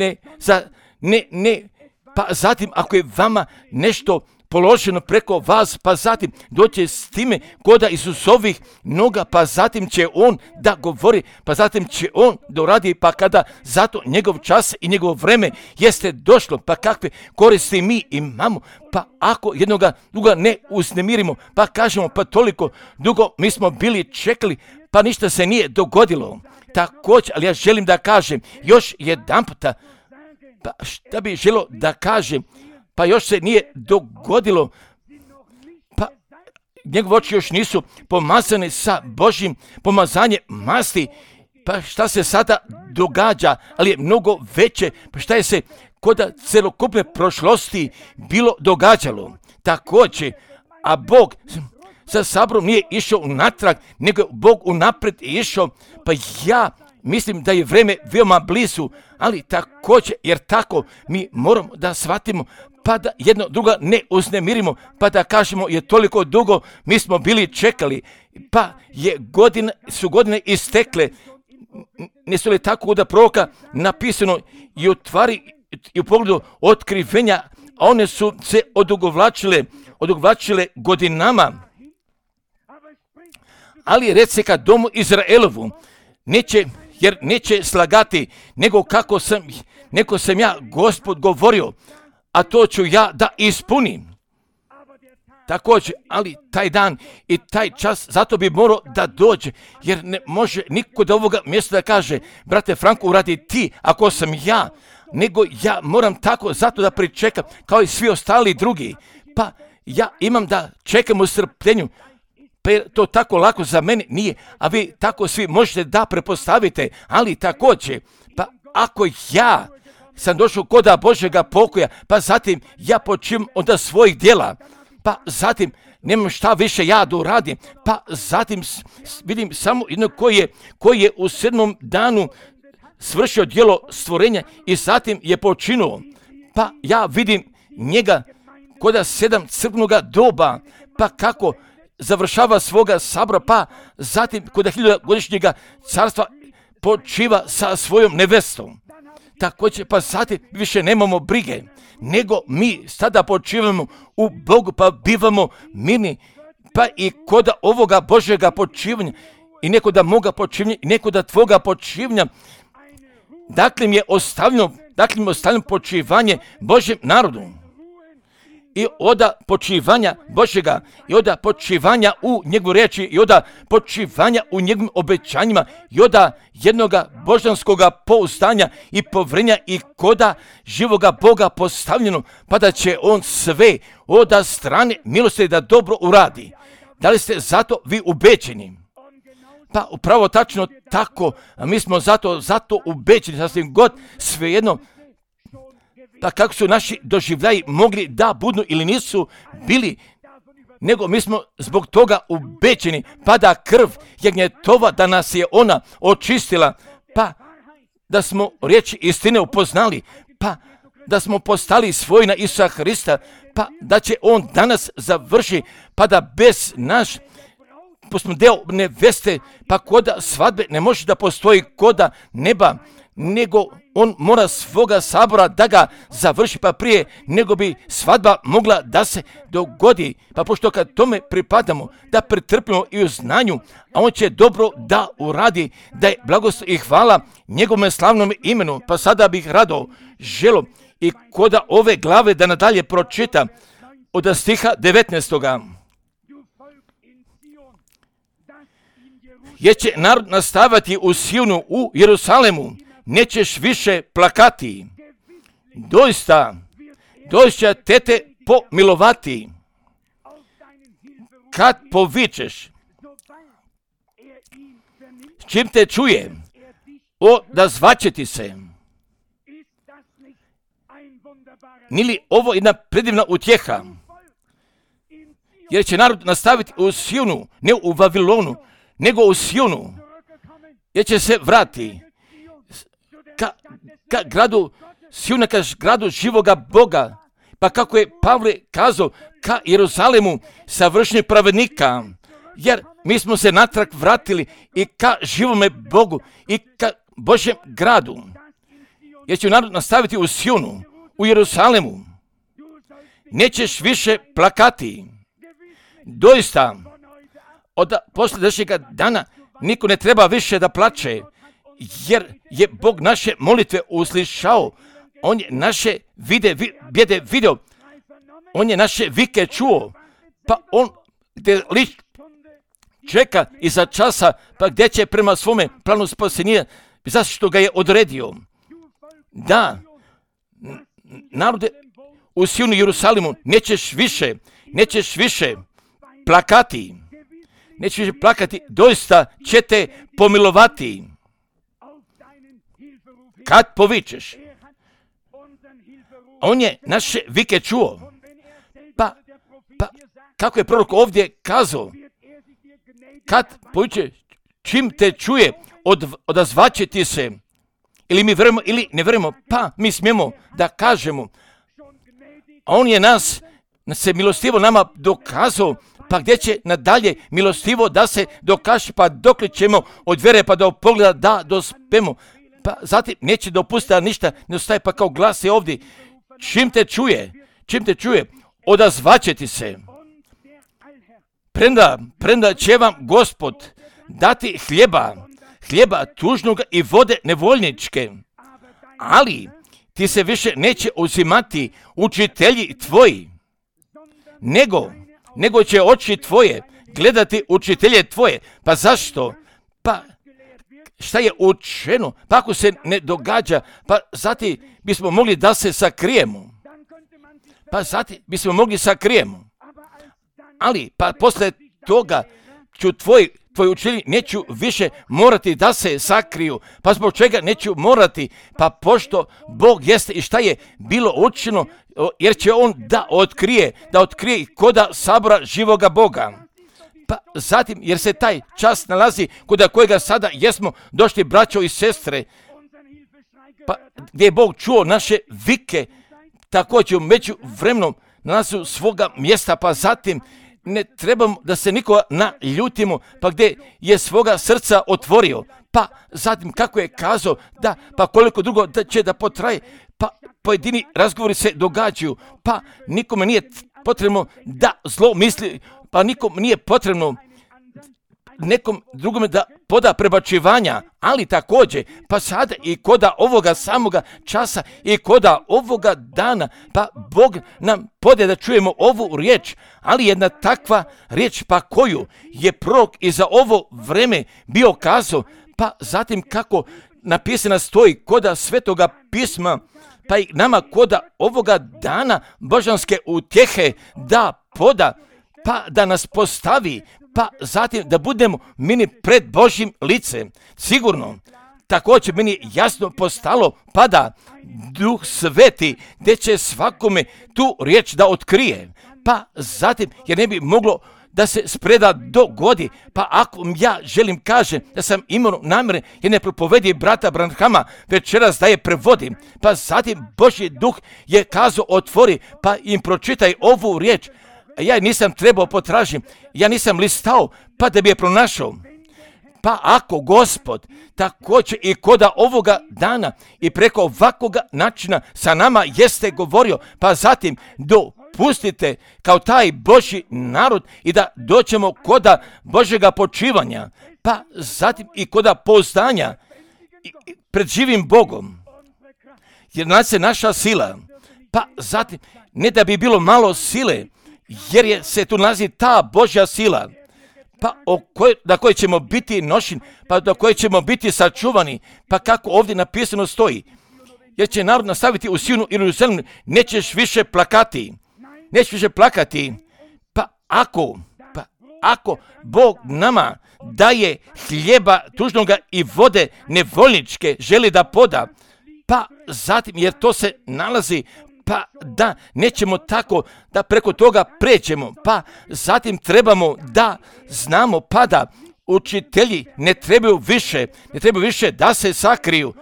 pa zatim ako je vama nešto položeno preko vas, pa zatim doće s time koda Isusovih noga, pa zatim će on da govori, pa zatim će on da uradi, pa kada zato njegov čas i njegovo vreme jeste došlo, pa kakve koristi mi imamo, pa ako jednoga druga ne uznemirimo, pa kažemo pa toliko dugo mi smo bili čekali, pa ništa se nije dogodilo. Također, ali ja želim da kažem još jedan puta, pa šta bi želio da kažem, pa još se nije dogodilo, pa njegove oči još nisu pomazane sa Božjim pomazanjem masti, pa šta se sada događa, ali je mnogo veće, pa šta je se kod celokupne prošlosti bilo događalo. Također, a Bog sa sabrom nije išao unatrag, nego Bog unaprijed išao, pa ja mislim da je vrijeme veoma blizu, ali također, jer tako mi moramo da shvatimo, pa da jedno druga ne uznemirimo, pa da kažemo je toliko dugo mi smo bili čekali, pa su godine istekle, ne su li tako da proroka napisano i u pogledu otkrivenja, a one su se odugovlačile godinama. Ali reci ka domu Izraelovu, jer neće slagati, nego neko sam ja Gospod govorio, a to ću ja da ispunim. Također, ali taj dan i taj čas, zato bi morao da dođe, jer ne može niko do ovoga mjesta da kaže, brate Franko, uradi ti, ako sam ja, nego ja moram tako zato da pričekam, kao i svi ostali drugi. Pa ja imam da čekam u strpljenju, pa jer to tako lako za mene nije, a vi tako svi možete da prepostavite, ali također, pa ako ja sam došao koda Božjega pokoja, pa zatim ja počinjem onda svojih djela, pa zatim nemam šta više ja da uradim, pa zatim vidim samo jedno koji je u 7. danu svršio djelo stvorenja i zatim je počinuo, pa ja vidim njega koda 7 crkvenoga doba, pa kako završava svoga sabora, pa zatim kod 1000-godišnjega carstva počiva sa svojom nevestom. Također, pa zatim više nemamo brige, nego mi sada počivamo u Bogu, pa bivamo mirni, pa i kod ovoga Božjega počivanja, i neko da moga počivanja, i neko da tvoga počivanja, dakle mi je ostavljeno počivanje Božjem narodu. I oda počivanja Božjega, i oda počivanja u njegovu riječi, i oda počivanja u njegovim obećanjima, i oda jednoga božanskoga pouzdanja i povrenja i koda živoga Boga postavljeno, pa da će on sve oda strane milosti da dobro uradi. Da li ste zato vi ubeđeni? Pa upravo tačno tako, a mi smo zato ubeđeni, sasvim god svejedno, pa kako su naši doživljaji mogli da budu ili nisu bili, nego mi smo zbog toga ubeđeni, pa da krv jagnjetova, da nas je ona očistila, pa da smo riječi istine upoznali, pa da smo postali svoji na Isusa Hrista, pa da će on danas završi, pa da bez naš, pa smo deo neveste, pa koda svadbe ne može da postoji koda neba, nego on mora svoga sabora da ga završi, pa prije nego bi svadba mogla da se dogodi. Pa pošto kad tome pripadamo, da pretrpimo i u znanju, a on će dobro da uradi, da je blagoslov i hvala njegovom slavnom imenu. Pa sada bih rado želo i koda ove glave da nadalje pročita od stiha 19. Jer će narod nastavati u Sionu, u Jerusalemu, nećeš više plakati. Doista tete pomilovati. Kad povičeš, s čim te čuje, odazvaće ti se. Nije li ovo jedna predivna utjeha? Jer će narod nastaviti u Sionu, ne u Vavilonu, nego u Sionu. Jer će se vrati ka gradu Siona, ka gradu živoga Boga. Pa kako je Pavle kazao, ka Jeruzalemu savršenih pravednika. Jer mi smo se natrag vratili i ka živome Bogu i ka Božjem gradu. Jer će narod nastaviti u Sionu, u Jeruzalemu. nećeš više plakati. Doista, od posljedećega dana niko ne treba više da plače, jer je Bog naše molitve uslišao. On je naše bijede vidio, on je naše vike čuo, pa on gdje čeka iza časa, pa gdje će prema svome planu spasenja, zašto ga je odredio. Da, narode u Sionu i Jerusalimu, nećeš više plakati. Nećeš više plakati, doista će te pomilovati. Kad povičeš, on je naše vike čuo. Pa kako je prorok ovdje kazao, kad povičeš, čim te čuje, odazvaće ti se. Ili mi verujemo ili ne verujemo, pa mi smijemo da kažemo. On je se milostivo nama dokazao, pa gdje će nadalje milostivo da se dokaže, pa dokle ćemo od vjere pa do pogleda da dospemo. Pa zatim neće dopustiti da ništa ne ostaje, pa kao glas je ovdje. Čim te čuje, odazvaće ti se. Premda će vam Gospod dati hljeba tužnoga i vode nevoljničke, ali ti se više neće uzimati učitelji tvoji, nego će oči tvoje gledati učitelje tvoje. Pa zašto? Pa šta je učeno? Pa ako se ne događa, pa zatim bismo mogli da se sakrijemo. Ali pa posle toga ću tvoji učitelji neću više morati da se sakriju. Pa zbog čega neću morati? Pa pošto Bog jeste i šta je bilo učeno, jer će on da otkrije koda sabora živoga Boga. Pa zatim, jer se taj čas nalazi kod kojega sada jesmo došli, braćo i sestre, pa gdje je Bog čuo naše vike, također među vremenom nalazi svoga mjesta, pa zatim ne trebamo da se nikoga naljutimo, pa gdje je svoga srca otvorio, pa zatim kako je kazao, da, pa koliko drugo da će da potraje, pa pojedini razgovori se događaju, pa nikome nije potrebno da zlo misli, pa nikom nije potrebno nekom drugome da poda prebačivanja, ali također, pa sada i koda ovoga samoga časa i koda ovoga dana, pa Bog nam pode da čujemo ovu riječ, ali jedna takva riječ, pa koju je prorok i za ovo vreme bio kazao, pa zatim kako napisana stoji koda Svetoga pisma, pa i nama koda ovoga dana božanske utjehe da poda, pa da nas postavi, pa zatim da budemo mini pred Božjim licem. Sigurno, također meni jasno postalo, pa da Duh Sveti gdje će svakome tu riječ da otkrije, pa zatim jer ne bi moglo da se spreda dogodi, pa ako ja želim kažem da sam imao namjere jer ne propovedi brata Branhama večeras da je prevodim, pa zatim Božji Duh je kazao otvori, pa im pročitaj ovu riječ. Ja nisam trebao potražiti, ja nisam listao, pa da bi je pronašao. Pa ako Gospod također i koda ovoga dana i preko ovakvoga načina sa nama jeste govorio, pa zatim dopustite kao taj Božji narod i da dođemo koda Božjega počivanja, pa zatim i koda pouzdanja pred živim Bogom. Jer nas je naša sila, pa zatim ne da bi bilo malo sile, jer je se tu nalazi ta Božja sila, pa da koje ćemo biti nošeni, pa do koje ćemo biti sačuvani, pa kako ovdje napisano stoji, jer će narod nastaviti u Sionu i Jerusalimu, nećeš više plakati, pa ako Bog nama daje hljeba tužnoga i vode nevoljničke želi da poda, pa zatim, jer to se nalazi, pa da nećemo tako da preko toga pređemo, pa zatim trebamo da znamo, pa da učitelji ne trebaju više da se sakriju,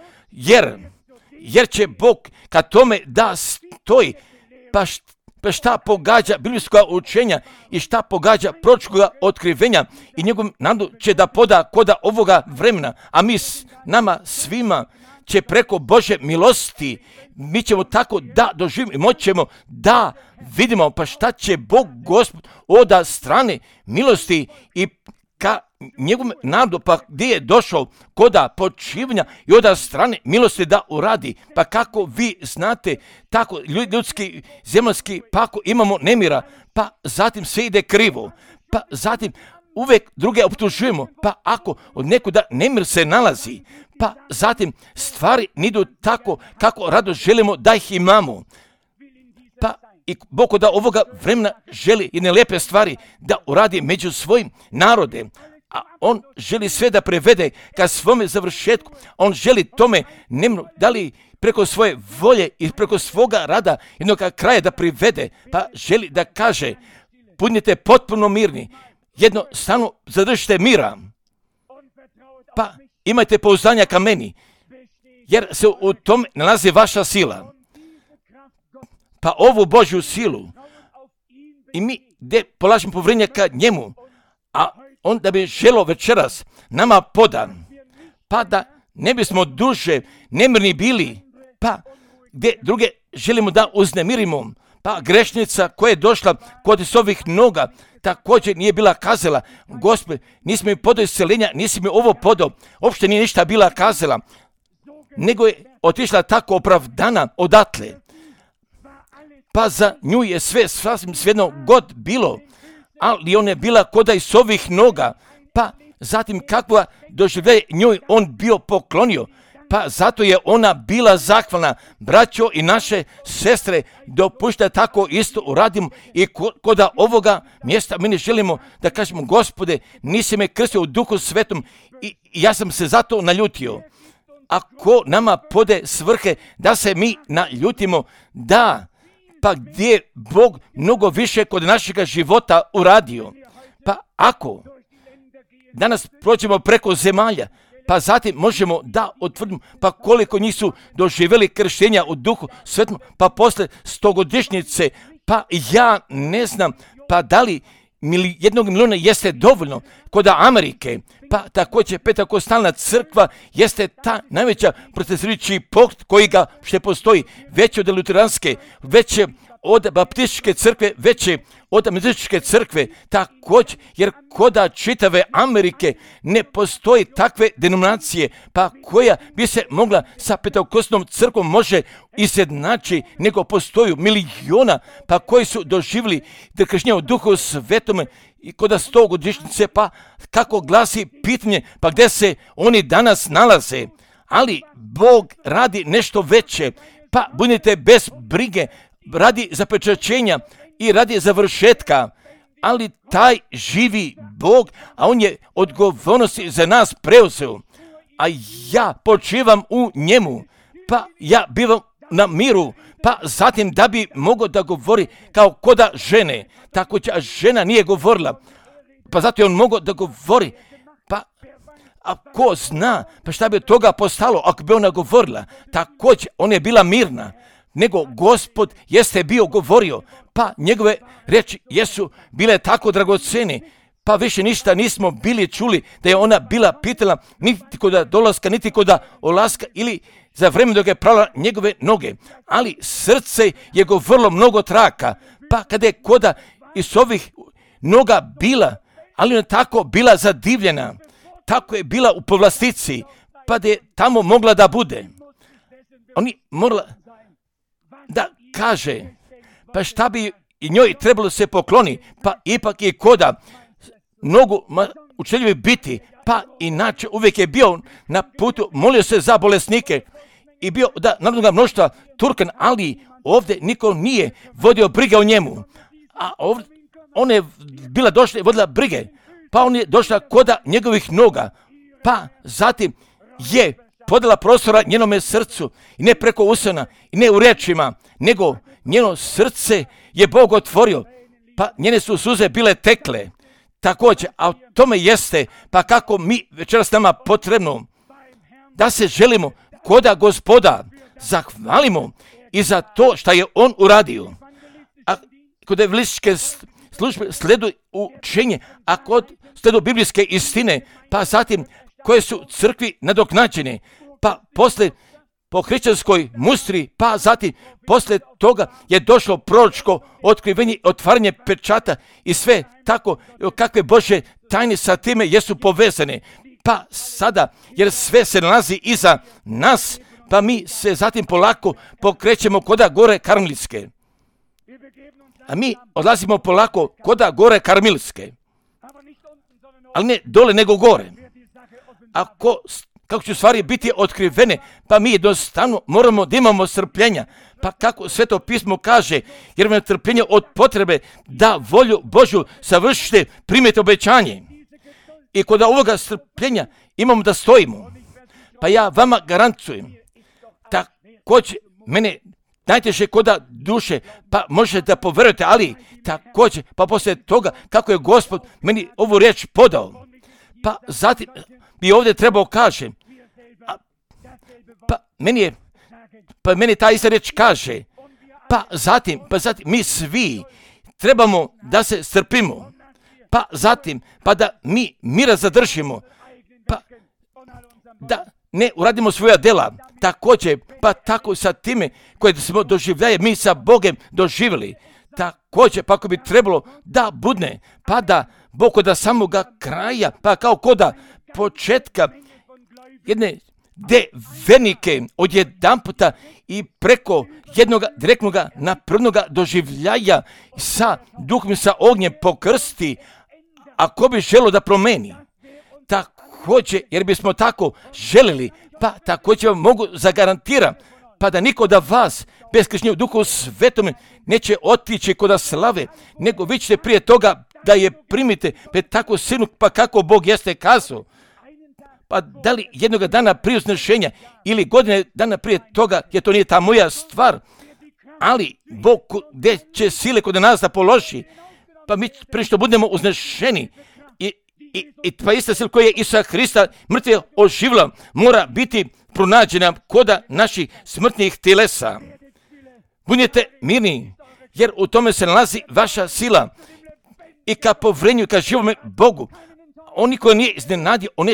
jer će Bog kad tome da stoji, pa šta pogađa biblijskoga učenja i šta pogađa proročkoga otkrivenja i njegov nadu će da poda koda ovoga vremena, a nama svima će preko Bože milosti, mi ćemo tako da doživimo i moćemo da vidimo pa šta će Bog Gospod oda strane milosti i ka njegovom narodu, pa gdje je došao koda počivanja i oda strane milosti da uradi. Pa kako vi znate, tako ljudski, zemljski, pa ako imamo nemira, pa zatim sve ide krivo, pa zatim uvijek druge optužujemo, pa ako od nekuda nemir se nalazi, pa zatim stvari nidu tako kako rado želimo da ih imamo. Pa i Bog da ovoga vremena želi jedne lijepe stvari da uradi među svojim narodem, a on želi sve da prevede ka svome završetku. On želi tome nemno, da li preko svoje volje i preko svoga rada jednog kraja da privede, pa želi da kaže budite potpuno mirni, jednostavno zadržite mira, pa imajte pouzdanja ka meni, jer se u tom nalazi vaša sila. Pa ovu Božju silu i mi gdje polažemo povjerenje ka njemu, a on da bi želo večeras nama podan, pa da ne bismo duže nemirni bili, pa gdje druge želimo da uznemirimo, pa grešnica koja je došla kod ovih noga također nije bila kazala, Gospod, nisi mi podao isceljenja, nisi mi ovo podao, uopšte nije ništa bila kazala, nego je otišla tako opravdana odatle. Pa za nju je sve sasvim svejedno god bilo, ali ona je bila koda iz ovih noga, pa zatim kakva doživljaje njoj on bio poklonio, pa zato je ona bila zahvalna. Braćo i naše sestre, dopušta tako isto uradimo i koda ovoga mjesta mi ne želimo da kažemo, Gospode, nisi me krstio u Duhu Svetom i ja sam se zato naljutio. Ako nama pode svrhe da se mi naljutimo, da, pa gdje je Bog mnogo više kod našega života uradio. Pa ako danas prođemo preko zemalja, pa zatim možemo da utvrdimo pa koliko njih su doživjeli krštenja u Duhu Svetom, pa posle 100-godišnjice, pa ja ne znam, pa da li 1 miliona jeste dovoljno kod Amerike, pa također Pentekostalna crkva jeste ta najveća protestirajući pokret koji ga što postoji, veće od luteranske, veće od baptističke crkve, veće od metodističke crkve, također, jer koda čitave Amerike ne postoji takve denominacije, pa koja bi se mogla sa Pentekostalnom crkvom može izjednači, nego postoju miliona, pa koji su doživjeli krštenje u Duhu Svetome i koda 100-godišnjice, pa kako glasi pitanje, pa gdje se oni danas nalaze. Ali Bog radi nešto veće, pa budite bez brige, radi zapečaćenja i radi završetka, ali taj živi Bog, a on je odgovornosti za nas preuzeo, a ja počivam u njemu, pa ja bivam na miru, pa zatim da bi mogao da govori kao koda žene, tako će, a žena nije govorila, pa zato je on mogao da govori, pa a ko zna, pa šta bi od toga postalo ako bi ona govorila, također ona je bila mirna, nego Gospod jeste bio govorio, pa njegove reči jesu bile tako dragocene, pa više ništa nismo bili čuli da je ona bila pitala niti koda dolaska, niti koda olaska ili za vreme dok je prala njegove noge, ali srce je govorilo mnogo traka, pa kada je koda iz ovih noga bila, ali ona tako bila zadivljena, tako je bila u povlastici, pa da je tamo mogla da bude. Oni morala da kaže, pa šta bi i njoj trebalo se pokloni, pa ipak je koda mnogo učeljivi biti, pa inače uvijek je bio na putu, molio se za bolesnike i bio da narodnoga mnoštva Turkan, ali ovdje niko nije vodio brige o njemu, a ovdje ona je bila došla i vodila brige, pa on je došla koda njegovih noga, pa zatim je podala prostora njenome srcu i ne preko usana i ne u riječima, nego njeno srce je Bog otvorio, pa njene su suze bile tekle. Također, a o tome jeste, pa kako mi večeras nama potrebno da se želimo koda Gospoda zahvalimo i za to što je on uradio. A kod evangelističke službe sleduju učenje, a kod sleduju biblijske istine, pa zatim koje su crkvi nadoknađene, pa posle po hrišćanskoj mustri, pa zatim poslije toga je došlo proročko otkrivenje, otvaranje pečata i sve tako kakve Božje tajne sa time jesu povezane. Pa sada, jer sve se nalazi iza nas, pa mi se zatim polako pokrećemo koda gore Karmelitske. A mi odlazimo polako koda gore Karmelitske. Ali ne dole nego gore. Kako će stvari biti otkrivene, pa mi jednostavno moramo da imamo strpljenja. Pa kako Sveto pismo kaže, jer vam je trpljenje od potrebe da volju Božju savršite, primite obećanje. I kod ovoga strpljenja imamo da stojimo. Pa ja vama garantujem, također mene najteže koda duše, pa možete da poverujete, ali također, pa poslije toga kako je Gospod meni ovu riječ podao, pa zatim bi ovdje trebao kažem, pa meni ta ista riječ kaže, pa zatim mi svi trebamo da se strpimo, pa zatim, pa da mi mira zadržimo, pa da ne uradimo svoja dela, također, pa tako sa time koje smo doživljaje, mi sa Bogem doživjeli, također, pa ako bi trebalo da budne, pa da Bog od samoga kraja, pa kao koda početka jedne venike od jedan puta i preko jednog direktnog napravnog doživljaja sa duhom, sa ognjem pokrsti, ako bi želo da promeni, također, jer bismo tako želili, pa također vam mogu zagarantiram, pa da niko da vas bez krštenja u Duhu Svetome neće otići kod slave, nego vi ćete prije toga da je primite pred tako sinu, pa kako Bog jeste kazao. Pa da li jednog dana prije uznešenja ili godine dana prije toga, jer to nije ta moja stvar, ali Bog gdje će sile kod nas da položi, pa mi prije što budemo uznešeni i pa ista sila koja je Isusa Hrista mrtve oživila mora biti pronađena koda naših smrtnih telesa. Budite mirni, jer u tome se nalazi vaša sila i ka povrenju i ka živome Bogu. Oni koji nije iznenadio, on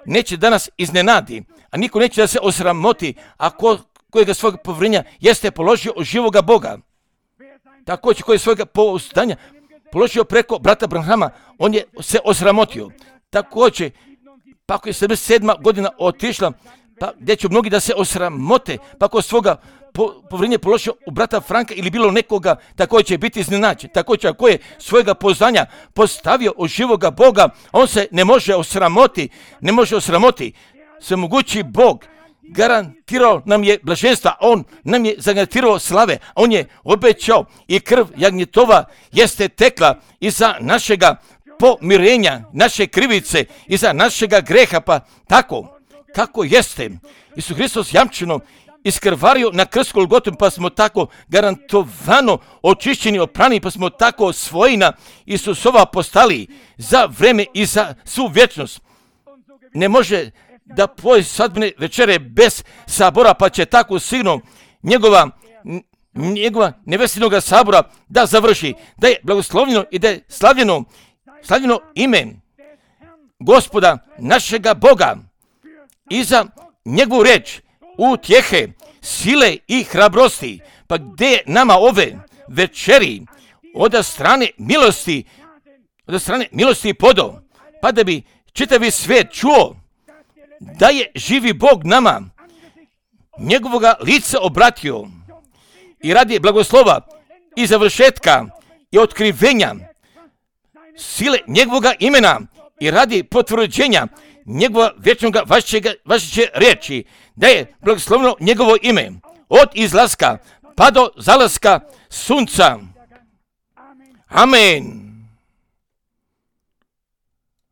neće danas iznenadi, a niko neće da se osramoti, a kojega svojeg povrenja jeste položio od živoga Boga. Također koji svojega pouzdanja položio preko brata Branhama, on je se osramotio. Također, pa ako je 77. godina otišla, pa gdje će mnogi da se osramote, pa ako svoga povrenje položio u brata Franka ili bilo nekoga, također će biti iznenađen. Također, ako je svojega poznanja postavio od živoga Boga, on se ne može osramoti. Svemogući Bog garantirao nam je blaženstva, on nam je zagarantirao slave, on je obećao i krv jagnjetova jeste tekla iza našega pomirenja, naše krivice, iza našega greha, pa tako kako jeste Isus Hristos jamčino iskrvario na krstu Golgotu, pa smo tako garantovano očišćeni, oprani, pa smo tako svojina Isusova postali za vreme i za svu vječnost. Ne može da poje svadbene večere bez sabora, pa će tako sigurno njegova nevestinoga sabora da završi, da je blagoslovljeno i da je slavljeno ime Gospoda našega Boga i za njegovu riječ utjehe, sile i hrabrosti. Pa gdje je nama ove večeri od strane milosti podo, pa da bi čitavi svijet čuo da je živi Bog nama njegovoga lica obratio i radi blagoslova i završetka i otkrivenja sile njegovoga imena i radi potvrđenja njegova vječnoga vašeće riječi, da je blagoslovno njegovo ime od izlaska pa do zalaska sunca. Amen.